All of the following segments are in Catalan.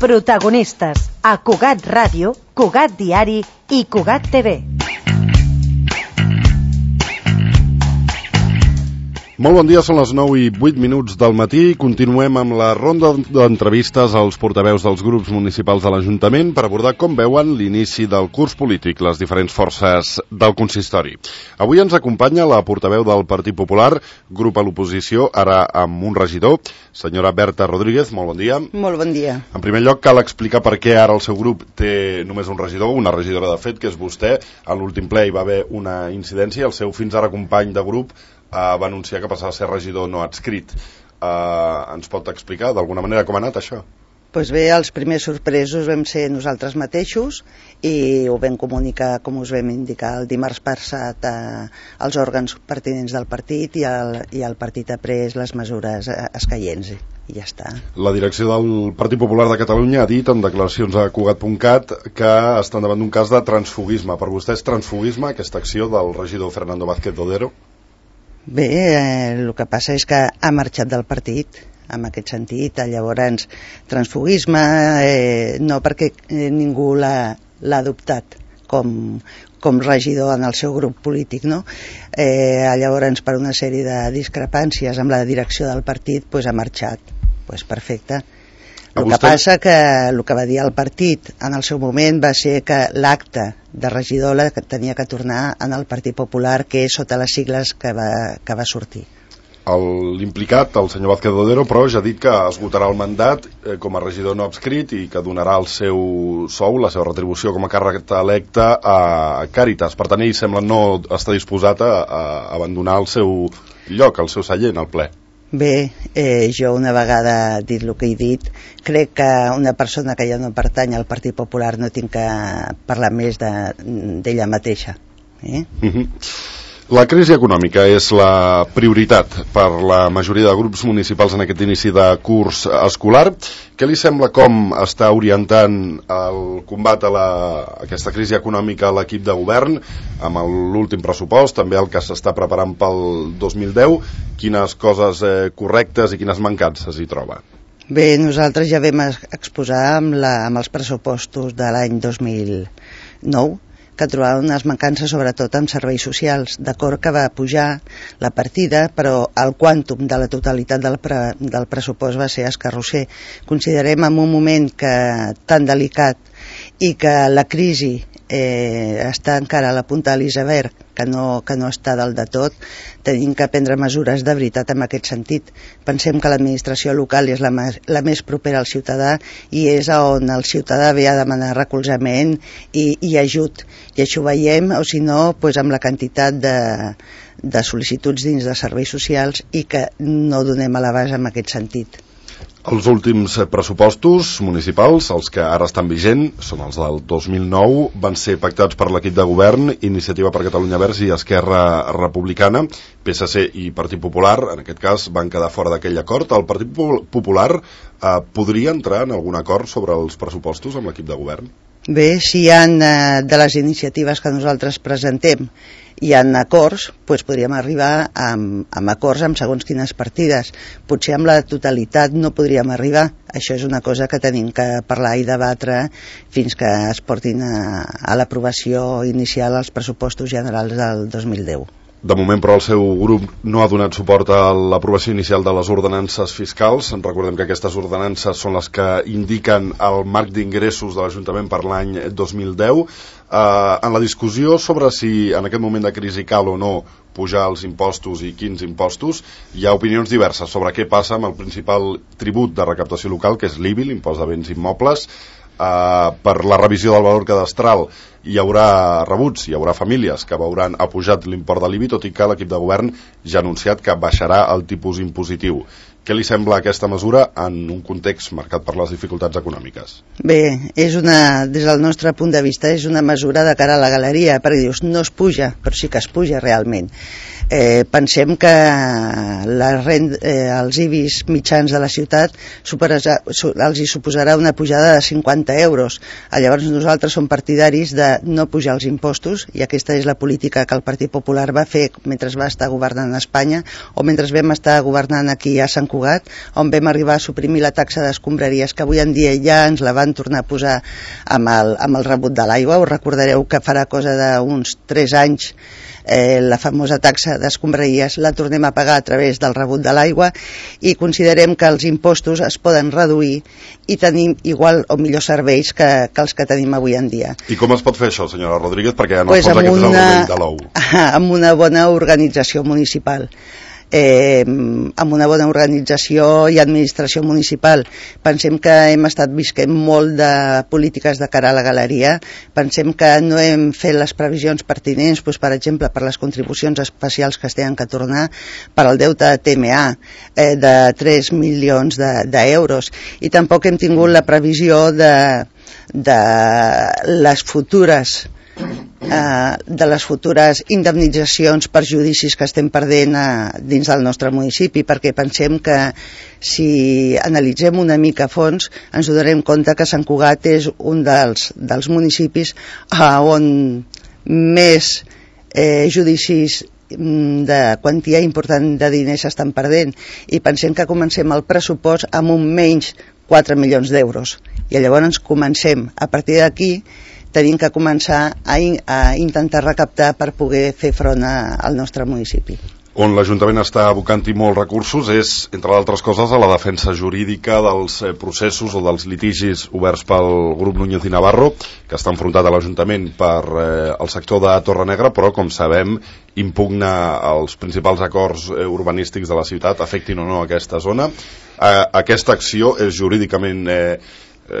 Protagonistes a Cugat Ràdio, Cugat Diari i Cugat TV. Molt bon dia, són les 9:08 del matí. Continuem amb la ronda d'entrevistes als portaveus dels grups municipals de l'Ajuntament per abordar com veuen l'inici del curs polític, les diferents forces del consistori. Avui ens acompanya la portaveu del Partit Popular, grup a l'oposició, ara amb un regidor, senyora Berta Rodríguez. Molt bon dia. Molt bon dia. En primer lloc, cal explicar per què ara el seu grup té només un regidor, una regidora de fet, que és vostè. A l'últim ple hi va haver una incidència, el seu fins ara company de grup va anunciar que passava a ser regidor no adscrit. Ens pot explicar d'alguna manera com ha anat això? Doncs bé, els primers sorpresos vam ser nosaltres mateixos i ho vam comunicar, com us vam indicar, el dimarts passat als òrgans pertinents del partit i el partit ha pres les mesures escaients i ja està. La direcció del Partit Popular de Catalunya ha dit en declaracions a Cugat.cat que estan davant d'un cas de transfugisme. Per vostè és transfugisme aquesta acció del regidor Fernando Vázquez Dodero? Bé, el que passa és que ha marxat del partit, en aquest sentit. Llavors, transfugisme no, perquè ningú l'ha adoptat com regidor en el seu grup polític, no? Llavors, per una sèrie de discrepàncies amb la direcció del partit, ha marxat. Perfecte. El que passa que el que va dir el partit en el seu moment va ser que l'acte de regidor tenia que tornar en el Partit Popular, que és sota les sigles que va sortir. L'implicat, el senyor Vázquez Dodero, però ja ha dit que esgotarà el mandat com a regidor no adscrit i que donarà el seu sou, la seva retribució com a càrrec electe a Càritas. Per tant, ell sembla no està disposat a abandonar el seu lloc, el seu seient, al ple. Bé, jo una vegada dit el que he dit, crec que una persona que ja no pertany al Partit Popular no tinc que parlar més d'ella mateixa. La crisi econòmica és la prioritat per la majoria de grups municipals en aquest inici de curs escolar. Què li sembla com està orientant el combat a aquesta crisi econòmica a l'equip de govern amb l'últim pressupost, també el que s'està preparant pel 2010? Quines coses correctes i quines mancances hi troba? Bé, nosaltres ja vam exposar amb els pressupostos de l'any 2009 que trobaven unes mancances sobretot en serveis socials. D'acord que va pujar la partida, però el quàntum de la totalitat del pressupost va ser escarrosser. Considerem en un moment tan delicat i que la crisi està encara a la punta de l'iceberg, que no està dalt de tot, tenim que prendre mesures de veritat en aquest sentit. Pensem que l'administració local és la més propera al ciutadà i és on el ciutadà ve a demanar recolzament i ajut. I això ho veiem, o si no, amb la quantitat de sol·licituds dins de serveis socials i que no donem a l'abast en aquest sentit. Els últims pressupostos municipals, els que ara estan vigents, són els del 2009, van ser pactats per l'equip de govern, Iniciativa per Catalunya Verds i Esquerra Republicana. PSC i Partit Popular, en aquest cas, van quedar fora d'aquell acord. El Partit Popular podria entrar en algun acord sobre els pressupostos amb l'equip de govern? Bé, si hi ha de les iniciatives que nosaltres presentem hi ha acords, podríem arribar amb acords amb segons quines partides. Potser amb la totalitat no podríem arribar. Això és una cosa que tenim que parlar i debatre fins que es portin a l'aprovació inicial als pressupostos generals del 2010. De moment, però, el seu grup no ha donat suport a l'aprovació inicial de les ordenances fiscals. Recordem que aquestes ordenances són les que indiquen el marc d'ingressos de l'Ajuntament per l'any 2010. En la discussió sobre si en aquest moment de crisi cal o no pujar els impostos i quins impostos, hi ha opinions diverses sobre què passa amb el principal tribut de recaptació local, que és l'IBI, l'impost de béns immobles. Per la revisió del valor cadastral hi haurà rebuts, hi haurà famílies que veuran apujat l'import de l'IBI, tot i que l'equip de govern ja ha anunciat que baixarà el tipus impositiu. Què li sembla aquesta mesura en un context marcat per les dificultats econòmiques? Bé, des del nostre punt de vista és una mesura de cara a la galeria, perquè dius, no es puja, però sí que es puja realment. Pensem que els IBIs mitjans de la ciutat els hi suposarà una pujada de 50 euros. Llavors nosaltres som partidaris de no pujar els impostos, i aquesta és la política que el Partit Popular va fer mentre va estar governant a Espanya o mentre vam estar governant aquí a Sant Cugat, on vam arribar a suprimir la taxa d'escombraries, que avui en dia ja ens la van tornar a posar amb el rebut de l'aigua. Us recordareu que farà cosa d'uns 3 anys la famosa taxa d'escombraries la tornem a pagar a través del rebut de l'aigua, i considerem que els impostos es poden reduir i tenim igual o millors serveis que els que tenim avui en dia. I com es pot fer això, senyora Rodríguez? Perquè en el fons aquest és el rovell de l'ou. Amb una bona organització municipal. Amb una bona organització i administració municipal. Pensem que hem estat visquent molt de polítiques de cara a la galeria. Pensem que no hem fet les previsions pertinents, per exemple, per les contribucions especials que es tenen que tornar, per al deute de TMA de 3 milions d'euros, i tampoc hem tingut la previsió de les futures indemnitzacions per judicis que estem perdent dins del nostre municipi, perquè pensem que si analitzem una mica a fons ens donarem compte que Sant Cugat és un dels municipis on més judicis de quantia important de diners s'estan perdent, i pensem que comencem el pressupost amb un menys 4 milions d'euros, i llavors comencem a partir d'aquí. Tenim que començar a intentar recaptar per poder fer front al nostre municipi. On l'Ajuntament està abocant-hi molts recursos és, entre d'altres coses, a la defensa jurídica dels processos o dels litigis oberts pel grup Núñez i Navarro, que està enfrontat a l'Ajuntament per el sector de Torrenegra, però, com sabem, impugna els principals acords urbanístics de la ciutat, afectin o no aquesta zona. Aquesta acció és jurídicament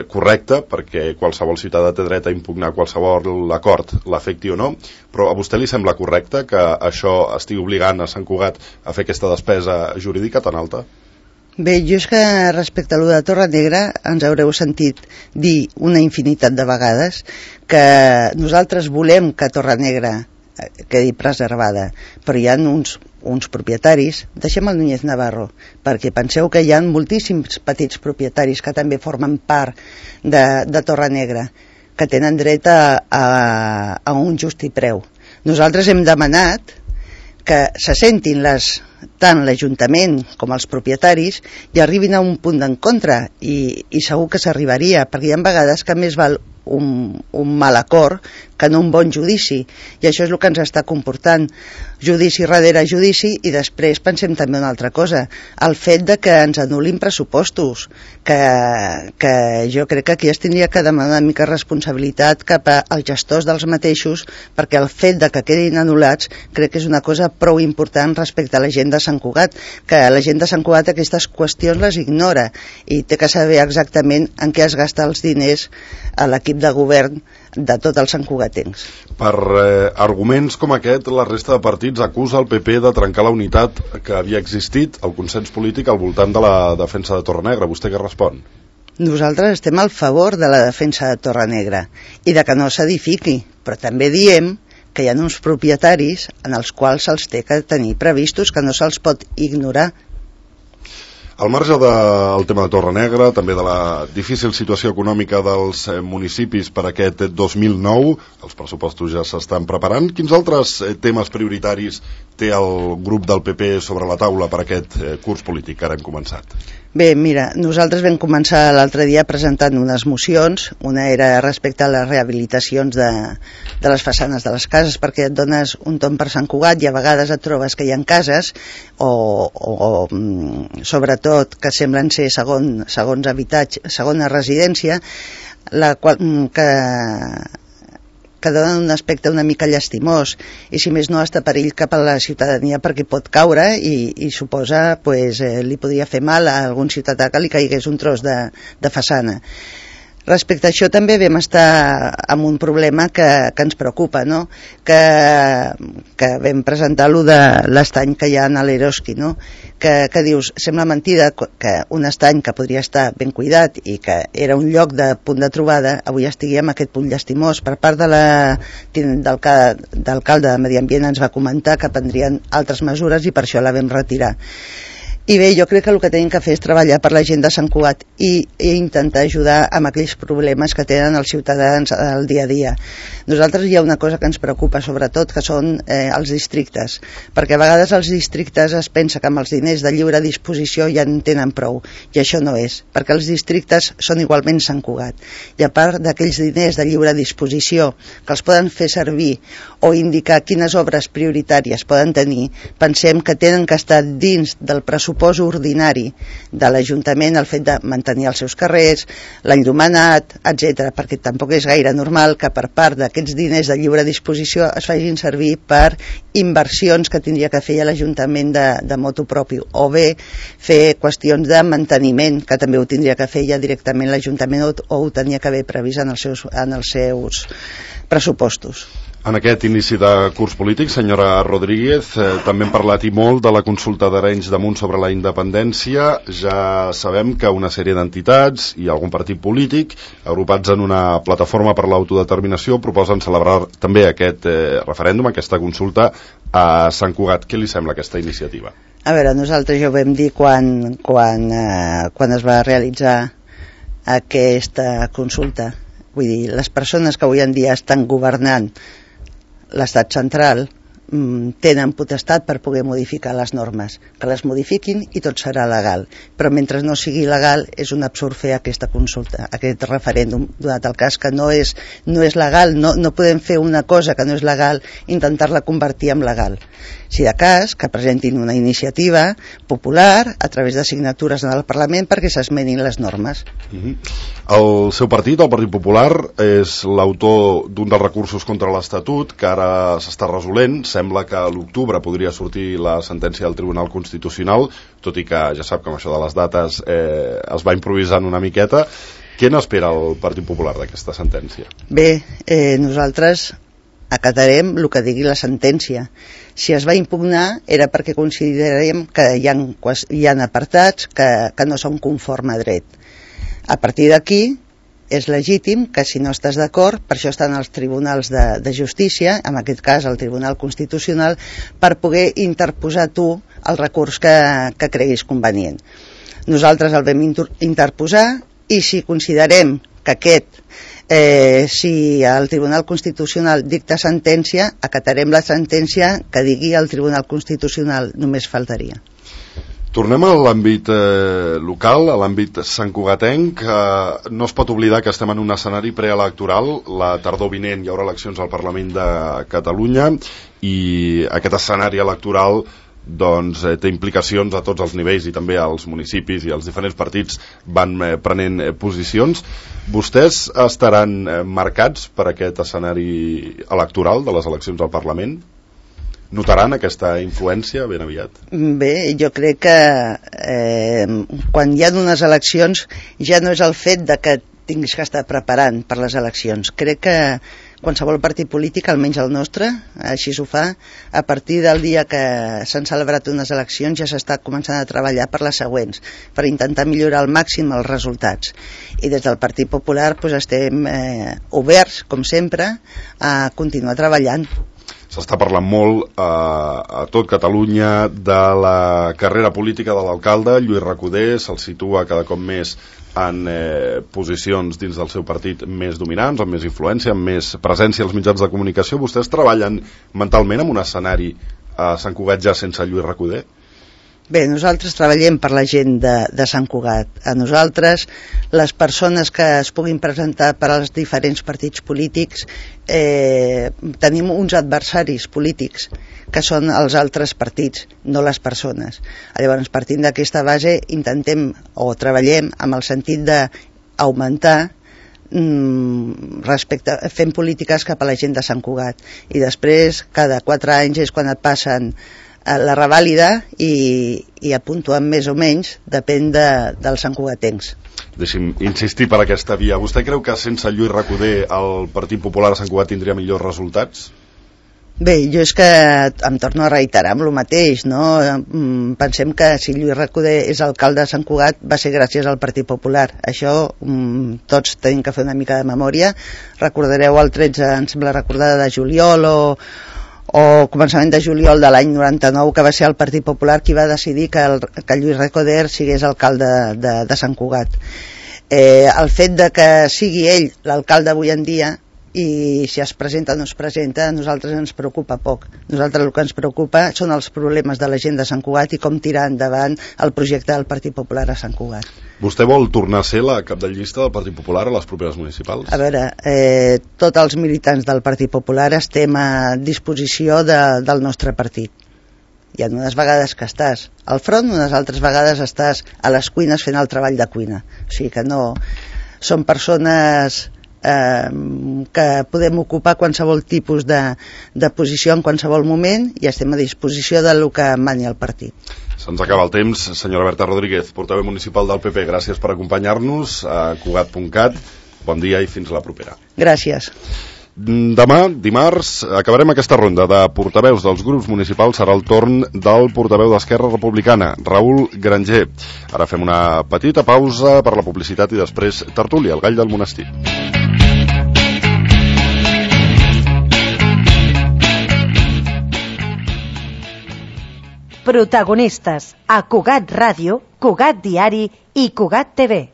correcta, perquè qualsevol ciutadà té dret a impugnar qualsevol acord, l'afecti o no, però a vostè li sembla correcte que això estigui obligant a Sant Cugat a fer aquesta despesa jurídica tan alta? Bé, jo és que respecte a lo de Torrenegra ens haureu sentit dir una infinitat de vegades que nosaltres volem que Torrenegra quedi preservada, però hi ha uns propietaris, deixem el Núñez Navarro, perquè penseu que hi ha moltíssims petits propietaris que també formen part de Torrenegra, que tenen dret a un just preu. Nosaltres hem demanat que se sentin tant l'Ajuntament com els propietaris i arribin a un punt d'encontre, i segur que s'arribaria, perquè hi ha vegades que més val un mal acord que no un bon judici, i això és el que ens està comportant, judici darrere judici. I després pensem també una altra cosa, el fet de que ens anul·lin pressupostos, que jo crec que aquí es tindria que demanar una mica responsabilitat cap als gestors dels mateixos, perquè el fet de que quedin anul·lats crec que és una cosa prou important respecte a la gent de Sant Cugat, que la gent de Sant Cugat aquestes qüestions les ignora i té que saber exactament en què es gasta els diners a l'equip de govern de tots els santcugatencs. Per arguments com aquest, la resta de partits acusa el PP de trencar la unitat que havia existit, el consens polític al voltant de la defensa de Torrenegra. Vostè què respon? Nosaltres estem al favor de la defensa de Torrenegra i de que no s'edifiqui, però també diem que hi ha uns propietaris en els quals se'ls té que tenir previstos, que no se'ls pot ignorar. Al marge del tema de Torrenegra, també de la difícil situació econòmica dels municipis per aquest 2009, els pressupostos ja s'estan preparant. Quins altres temes prioritaris té el grup del PP sobre la taula per aquest curs polític que ara hem començat? Bé, mira, nosaltres vam començar l'altre dia presentant unes mocions. Una era respecte a les rehabilitacions de les façanes de les cases, perquè et dones un tomb per Sant Cugat i a vegades et trobes que hi ha cases o sobretot que semblen ser segons habitatge, segona residència, la qual, que donen un aspecte una mica llastimós, i si més no està perill cap a la ciutadania perquè pot caure i suposa, li podria fer mal a algun ciutadà que li caigués un tros de façana. Respecte a això també vam estar amb un problema que ens preocupa, no? que vam presentar lo de l'estany que hi ha a l'Eroski, no? que dius, sembla mentida que un estany que podria estar ben cuidat i que era un lloc de punt de trobada avui estigui amb aquest punt llastimós. Per part de l'alcalde de Medi Ambient ens va comentar que prendrien altres mesures i per això la vam retirar. I bé, jo crec que el que tenim que fer és treballar per la gent de Sant Cugat i intentar ajudar amb aquells problemes que tenen els ciutadans al dia a dia. Nosaltres hi ha una cosa que ens preocupa sobretot, que són els districtes, perquè a vegades els districtes es pensa que amb els diners de lliure disposició ja en tenen prou, i això no és, perquè els districtes són igualment Sant Cugat, i a part d'aquells diners de lliure disposició que els poden fer servir o indicar quines obres prioritàries poden tenir, pensem que tenen que estar dins del pressupost ordinari de l'Ajuntament, el fet de mantenir els seus carrers, l'enllumenat, etc., perquè tampoc és gaire normal que per part d'aquests diners de lliure disposició es facin servir per inversions que tindria que fer l'Ajuntament de motu propi, o bé fer qüestions de manteniment, que també ho tindria que fer ja directament l'Ajuntament o ho tenia que haver previst en els seus pressupostos. En aquest inici de curs polític, senyora Rodríguez, també hem parlat i molt de la consulta d'Arenys de Munt sobre la independència. Ja sabem que una sèrie d'entitats i algun partit polític, agrupats en una plataforma per l'autodeterminació, proposen celebrar també aquest referèndum, aquesta consulta a Sant Cugat. Què li sembla aquesta iniciativa? A veure, nosaltres ja ho vam dir quan es va realitzar aquesta consulta. Vull dir, les persones que avui en dia estan governant l'estat central tenen potestat per poder modificar les normes, que les modifiquin i tot serà legal, però mentre no sigui legal és un absurd fer aquesta consulta, aquest referèndum, donat el cas que no és legal, no podem fer una cosa que no és legal, intentar-la convertir en legal. Si de cas, que presentin una iniciativa popular a través de signatures en el Parlament perquè s'esmenin les normes. El seu partit, el Partit Popular, és l'autor d'un dels recursos contra l'Estatut que ara s'està resolent. Sembla que a l'octubre podria sortir la sentència del Tribunal Constitucional, tot i que ja sap que amb això de les dates es va improvisant una miqueta. Què n'espera el Partit Popular d'aquesta sentència? Bé, nosaltres acatarem el que digui la sentència. Si es va impugnar era perquè considerem que hi ha apartats que no són conforme a dret. A partir d'aquí és legítim que si no estàs d'acord, per això estan els tribunals de justícia, en aquest cas el Tribunal Constitucional, per poder interposar tu el recurs que creguis convenient. Nosaltres el vam interposar i si considerem que si el Tribunal Constitucional dicta sentència, acatarem la sentència que digui el Tribunal Constitucional, només faltaria. Tornem a l'àmbit local, a l'àmbit santcugatenc. No es pot oblidar que estem en un escenari preelectoral. La tardor vinent hi haurà eleccions al Parlament de Catalunya i aquest escenari electoral té implicacions a tots els nivells i també als municipis, i els diferents partits van prenent posicions. Vostès estaran marcats per aquest escenari electoral de les eleccions al Parlament? Notaran aquesta influència ben aviat? Bé, jo crec que quan hi ha unes eleccions ja no és el fet de que tinguis que estar preparant per les eleccions. Crec que qualsevol partit polític, almenys el nostre, així s'ho fa, a partir del dia que s'han celebrat unes eleccions ja s'està començant a treballar per les següents, per intentar millorar al màxim els resultats. I des del Partit Popular estem oberts, com sempre, a continuar treballant. S'està parlant molt a tot Catalunya de la carrera política de l'alcalde Lluís Recoder. Se'l situa cada cop més en posicions dins del seu partit més dominants, amb més influència, amb més presència als mitjans de comunicació. Vostès treballen mentalment en un escenari a Sant Cugat ja sense Lluís Recoder? Bé, nosaltres treballem per la gent de Sant Cugat. A nosaltres, les persones que es puguin presentar per als diferents partits polítics, tenim uns adversaris polítics que són els altres partits, no les persones. Llavors, partint d'aquesta base, intentem o treballem amb el sentit d'augmentar fent polítiques cap a la gent de Sant Cugat. I després, cada 4 anys és quan et passen la revàlida i apuntuen més o menys, depèn dels santcugatencs. Deixi'm insistir per aquesta via. Vostè creu que sense Lluís Recoder el Partit Popular a Sant Cugat tindria millors resultats? Bé, jo és que em torno a reiterar amb el mateix, no? Pensem que si Lluís Recoder és alcalde de Sant Cugat va ser gràcies al Partit Popular. Això tots tenim que fer una mica de memòria. Recordareu el 13, em sembla recordar, de juliol o començament de juliol de l'any 99, que va ser el Partit Popular qui va decidir que Lluís Recoder sigués alcalde de Sant Cugat. El fet de que sigui ell l'alcalde avui en dia, i si es presenta o no es presenta, a nosaltres ens preocupa poc. Nosaltres el que ens preocupa són els problemes de la gent de Sant Cugat i com tirar endavant el projecte del Partit Popular a Sant Cugat. Vostè vol tornar a ser la cap de llista del Partit Popular a les properes municipals? A veure, tots els militants del Partit Popular estem a disposició del nostre partit. Hi ha unes vegades que estàs al front, unes altres vegades estàs a les cuines fent el treball de cuina. O sigui que no... Són persones que podem ocupar qualsevol tipus de posició en qualsevol moment i estem a disposició del que mani el partit. Se'ns acaba el temps. Senyora Berta Rodríguez, portaveu municipal del PP, gràcies per acompanyar-nos a Cugat.cat. Bon dia i fins la propera. Gràcies. Demà, dimarts, acabarem aquesta ronda de portaveus dels grups municipals. Serà el torn del portaveu d'Esquerra Republicana, Raül Granger. Ara fem una petita pausa per la publicitat i després tertúlia, el gall del monestir. Protagonistes a Cugat Ràdio, Cugat Diari i Cugat TV.